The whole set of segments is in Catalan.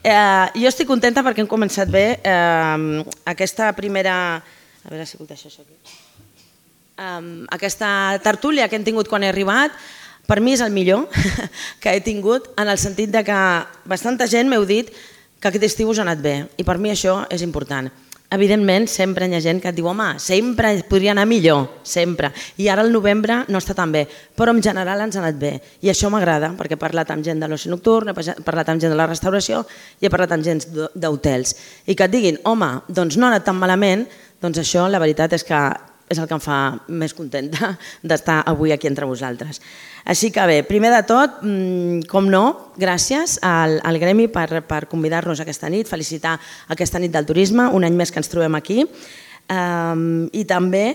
Jo estic contenta perquè hem començat bé aquesta primera... A veure si puc deixar això aquí. Aquesta tertúlia que hem tingut quan he arribat, per mi és el millor que he tingut, en el sentit que bastanta gent m'heu dit que aquest estiu us ha anat bé, i per mi això és important. Evidentment, sempre hi ha gent que et diu home, sempre podria anar millor, sempre, i ara el novembre no està tan bé, però en general ens ha anat bé, i això m'agrada, perquè he parlat amb gent de l'oci nocturn, he parlat amb gent de la restauració i he parlat amb gent d'hotels, i que et diguin home, doncs no ha anat tan malament, doncs això la veritat és que és el que em fa més contenta d'estar avui aquí entre vosaltres. Així que bé, primer de tot, com no, gràcies al Gremi per convidar-nos aquesta nit, felicitar aquesta nit del turisme, un any més que ens trobem aquí, i també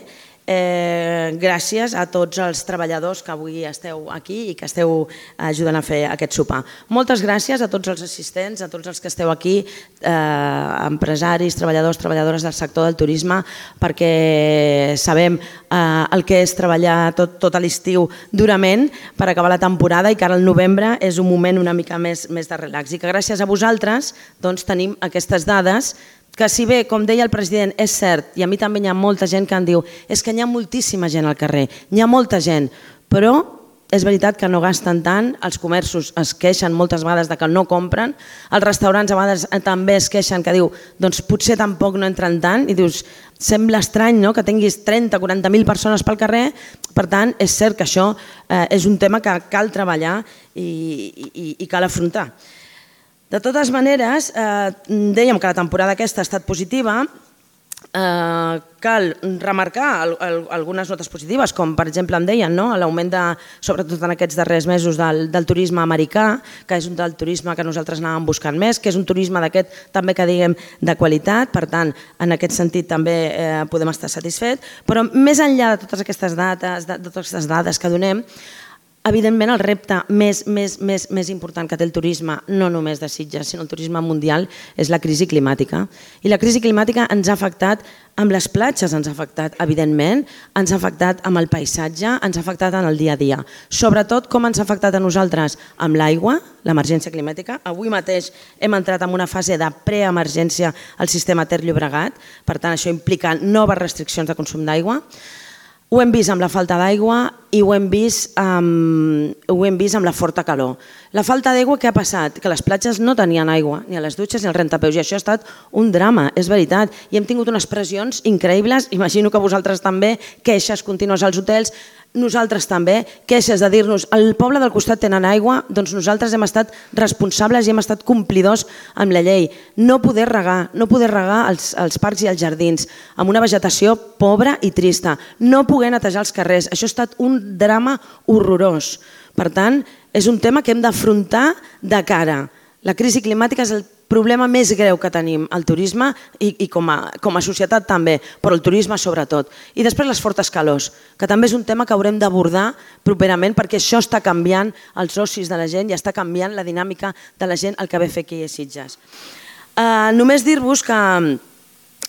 gràcies a tots els treballadors que avui esteu aquí i que esteu ajudant a fer aquest sopar. Moltes gràcies a tots els assistents, a tots els que esteu aquí, empresaris, treballadors, treballadores del sector del turisme, perquè sabem el que és treballar tot l'estiu durament per acabar la temporada i que ara el novembre és un moment una mica més de relax i que gràcies a vosaltres tenim aquestes dades que si bé, com deia el president, és cert, i a mi també hi ha molta gent que em diu és que hi ha moltíssima gent al carrer, hi ha molta gent, però és veritat que no gasten tant, els comerços es queixen moltes vegades de que no compren, els restaurants a vegades també es queixen que diu doncs potser tampoc no entren tant i dius sembla estrany que tinguis 30-40.000 persones pel carrer, per tant és cert que això és un tema que cal treballar i cal afrontar. De totes maneres, dèiem que la temporada aquesta ha estat positiva, cal remarcar algunes notes positives, com per exemple em deien l'augment, sobretot en aquests darrers mesos, del turisme americà, que és un del turisme que nosaltres anàvem buscant més, que és un turisme d'aquest també que diguem de qualitat, per tant en aquest sentit també podem estar satisfets, però més enllà de totes aquestes dades que donem, evidentment el repte més important que té el turisme, no només de Sitges, sinó el turisme mundial, és la crisi climàtica. I la crisi climàtica ens ha afectat amb les platges, ens ha afectat evidentment, ens ha afectat amb el paisatge, ens ha afectat en el dia a dia. Sobretot com ens ha afectat a nosaltres amb l'aigua, l'emergència climàtica. Avui mateix hem entrat en una fase de preemergència al sistema Ter Llobregat, per tant això implica noves restriccions de consum d'aigua. Ho hem vist amb la falta d'aigua i ho hem vist amb la forta calor. La falta d'aigua, què ha passat? Que les platges no tenien aigua, ni a les dutxes ni al rentapeus, i això ha estat un drama, és veritat. I hem tingut unes pressions increïbles, imagino que vosaltres també, queixes contínues als hotels, nosaltres també, queixes de dir-nos el poble del costat tenen aigua, doncs nosaltres hem estat responsables i hem estat complidors amb la llei. No poder regar els parcs i els jardins, amb una vegetació pobra i trista, no poder netejar els carrers, això ha estat un drama horrorós. Per tant, és un tema que hem d'afrontar de cara. La crisi climàtica és el problema més greu que tenim al turisme i com a societat també, però el turisme sobretot. I després les fortes calors, que també és un tema que haurem d'abordar properament perquè això està canviant els ocis de la gent i està canviant la dinàmica de la gent el que ve a fer aquí a Sitges. Només dir-vos que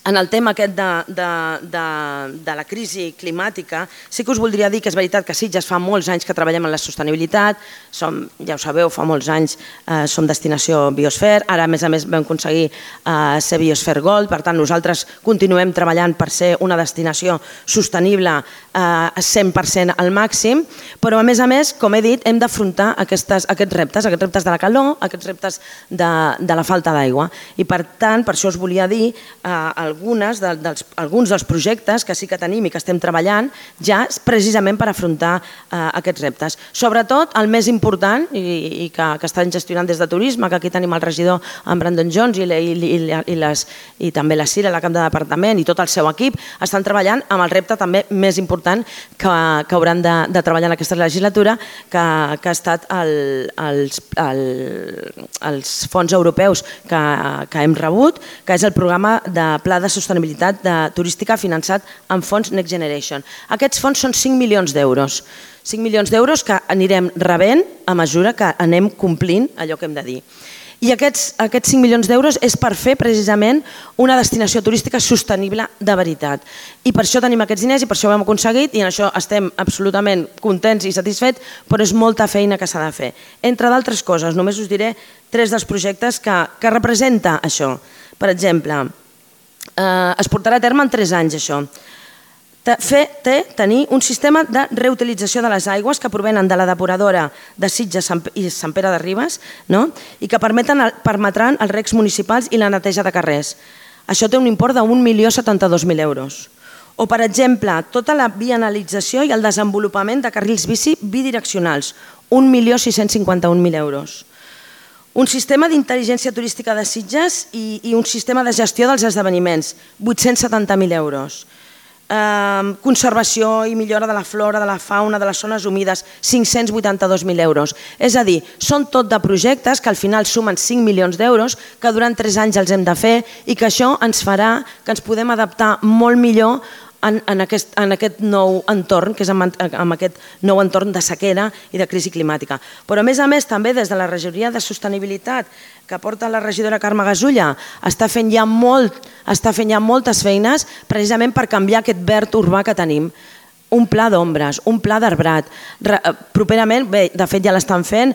en el tema aquest de la crisi climàtica, sí que us voldria dir que és veritat que a Sitges fa molts anys que treballem en la sostenibilitat, ja ho sabeu, fa molts anys som destinació Biosfer, ara a més vam aconseguir ser Biosfer Gold, per tant nosaltres continuem treballant per ser una destinació sostenible 100% al màxim, però a més, com he dit, hem d'afrontar aquests reptes de la calor, aquests reptes de la falta d'aigua, i per tant, per això us volia dir alguns dels projectes que sí que tenim i que estem treballant ja precisament per afrontar aquests reptes. Sobretot el més important i que estan gestionant des de turisme, que aquí tenim el regidor en Brandon Jones i també la Cira, la cap de departament i tot el seu equip, estan treballant amb el repte també més important que hauran de treballar en aquesta legislatura, que ha estat els fons europeus que hem rebut, que és el programa de Pla de Sostenibilitat Turística finançat amb fons Next Generation. Aquests fons són 5 milions d'euros. 5 milions d'euros que anirem rebent a mesura que anem complint allò que hem de dir. I aquests 5 milions d'euros és per fer precisament una destinació turística sostenible de veritat. I per això tenim aquests diners i per això ho hem aconseguit i en això estem absolutament contents i satisfets, però és molta feina que s'ha de fer. Entre d'altres coses, només us diré 3 dels projectes que representa això. Per exemple, es portarà a terme en 3 anys això. Tenir un sistema de reutilització de les aigües que provenen de la depuradora de Sitges i Sant Pere de Ribes i que permetran els recs municipals i la neteja de carrers. Això té un import de 1.072.000 euros. O, per exemple, tota la vianalització i el desenvolupament de carrils bici bidireccionals, 1.651.000 euros. Un sistema d'intel·ligència turística de Sitges i un sistema de gestió dels esdeveniments, 870.000 euros. Conservació i millora de la flora, de la fauna, de les zones humides, 582.000 euros. És a dir, són tot de projectes que al final sumen 5 milions d'euros, que durant 3 anys els hem de fer i que això ens farà que ens podem adaptar molt millor en aquest nou entorn, que és en aquest nou entorn de sequera i de crisi climàtica. Però a més també des de la regidoria de sostenibilitat que porta la regidora Carme Gasulla està fent ja moltes feines precisament per canviar aquest verd urbà que tenim. Un pla d'ombres, un pla d'arbrat. Properament, bé, de fet ja l'estan fent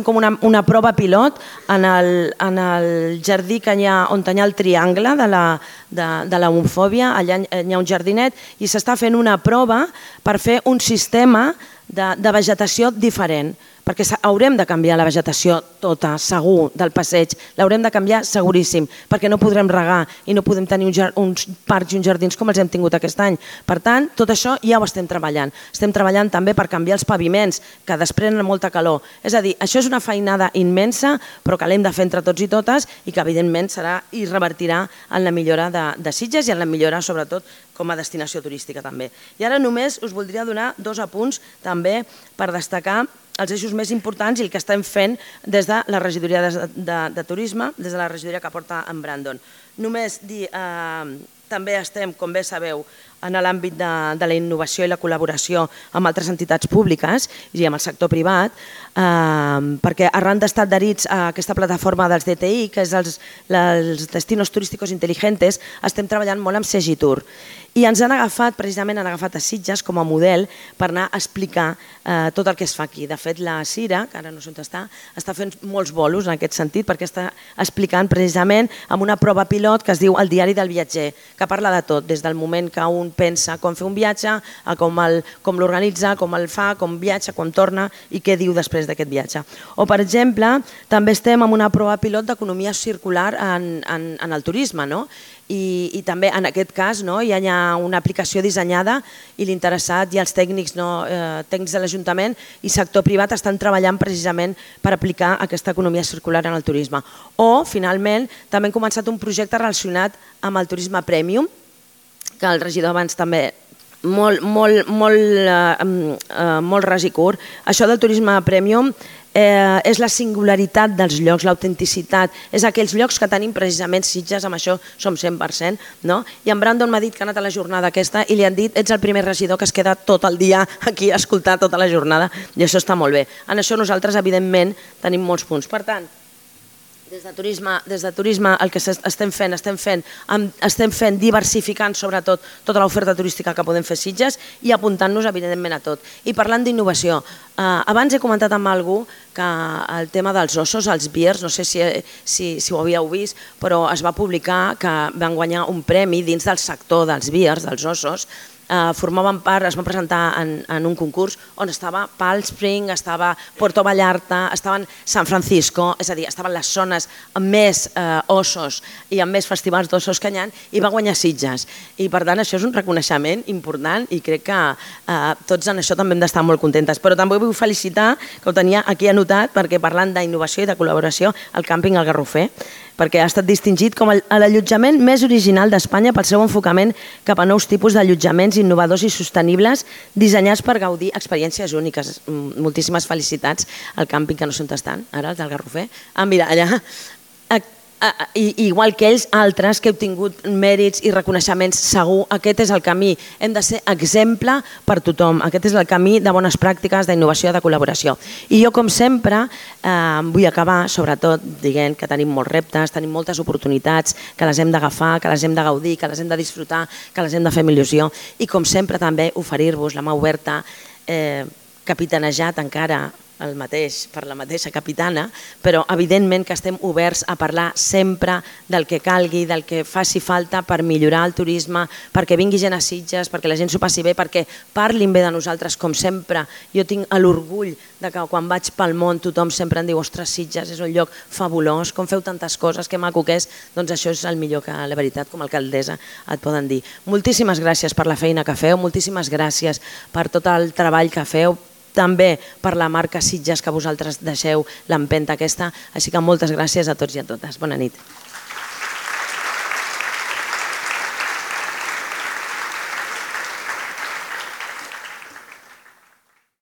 com una prova pilot en el jardí on hi ha el triangle de l'homofòbia, allà hi ha un jardinet i s'està fent una prova per fer un sistema de vegetació diferent, perquè haurem de canviar la vegetació tota, segur, del passeig, l'haurem de canviar seguríssim, perquè no podrem regar i no podem tenir uns parcs i uns jardins com els hem tingut aquest any. Per tant, tot això ja ho estem treballant. Estem treballant també per canviar els paviments, que desprenen molta calor. És a dir, això és una feinada immensa, però que l'hem de fer entre tots i totes i que evidentment serà i revertirà en la millora de Sitges i en la millora sobretot com a destinació turística també. I ara només us voldria donar 2 apunts també per destacar els eixos més importants i el que estem fent des de la regidoria de turisme, des de la regidoria que porta en Brandon. Només dir, també estem, com bé sabeu, en l'àmbit de la innovació i la col·laboració amb altres entitats públiques i amb el sector privat, perquè arran d'estar adherits a aquesta plataforma dels DTI, que és els Destinos Turísticos Inteligentes, estem treballant molt amb Segitur. I ens han agafat, precisament han agafat a Sitges com a model per anar a explicar tot el que es fa aquí. De fet, la Cira, que ara no sé on està fent molts bolos en aquest sentit perquè està explicant precisament amb una prova pilot que es diu El diari del viatger, que parla de tot, des del moment que un pensa com fer un viatge, a com l'organitza, com el fa, com viatja, com torna i què diu després d'aquest viatge. O, per exemple, també estem en una prova pilot d'economia circular en el turisme, i també en aquest cas hi ha una aplicació dissenyada i l'interessat i els tècnics de l'Ajuntament i sector privat estan treballant precisament per aplicar aquesta economia circular en el turisme. O, finalment, també hem començat un projecte relacionat amb el turisme premium, que el regidor abans també molt ras i curt. Això del turisme premium és la singularitat dels llocs, l'autenticitat, és aquells llocs que tenim precisament Sitges, amb això som 100%, i en Brandon m'ha dit que ha anat a la jornada aquesta i li han dit ets el primer regidor que es queda tot el dia aquí a escoltar tota la jornada i això està molt bé. En això nosaltres evidentment tenim molts punts. Per tant, des de turisme el que estem fent diversificant sobretot tota l'oferta turística que podem fer a Sitges i apuntant-nos evidentment a tot. I parlant d'innovació, abans he comentat amb algú que el tema dels ossos, els biers, no sé si ho havíeu vist, però es va publicar que van guanyar un premi dins del sector dels biers, dels ossos. Formaven part, es van presentar en un concurs on estava Palm Springs, estava Puerto Vallarta, estaven San Francisco, és a dir, estaven les zones amb més ossos i amb més festivals d'ossos que hi ha i va guanyar Sitges. I per tant això és un reconeixement important i crec que tots en això també hem d'estar molt contentes. Però també vull felicitar, que ho tenia aquí anotat, perquè parlant d'innovació i de col·laboració, el càmping El Garrofer, perquè ha estat distingit com l'allotjament més original d'Espanya pel seu enfocament cap a nous tipus d'allotjaments innovadors i sostenibles dissenyats per gaudir experiències úniques. Moltíssimes felicitats al càmping, que no sé on estan, ara, el del Garrofer. Mira, allà. igual que ells, altres que heu tingut mèrits i reconeixements, segur, aquest és el camí. Hem de ser exemple per tothom. Aquest és el camí de bones pràctiques, d'innovació, de col·laboració. I jo, com sempre, vull acabar, sobretot, dient que tenim molts reptes, tenim moltes oportunitats, que les hem d'agafar, que les hem de gaudir, que les hem de disfrutar, que les hem de fer amb il·lusió. I, com sempre, també oferir-vos la mà oberta, capitanejat encara per la mateixa capitana, però evidentment que estem oberts a parlar sempre del que calgui, del que faci falta per millorar el turisme, perquè vingui gent a Sitges, perquè la gent s'ho passi bé, perquè parlin bé de nosaltres, com sempre. Jo tinc l'orgull de que quan vaig pel món tothom sempre em diu ostres, Sitges és un lloc fabulós, com feu tantes coses, que maco que és, doncs això és el millor que la veritat com a alcaldessa et poden dir. Moltíssimes gràcies per la feina que feu, moltíssimes gràcies per tot el treball que feu, també per la marca Sitges que vosaltres deixeu l'empenta aquesta, així que moltes gràcies a tots i a totes. Bona nit.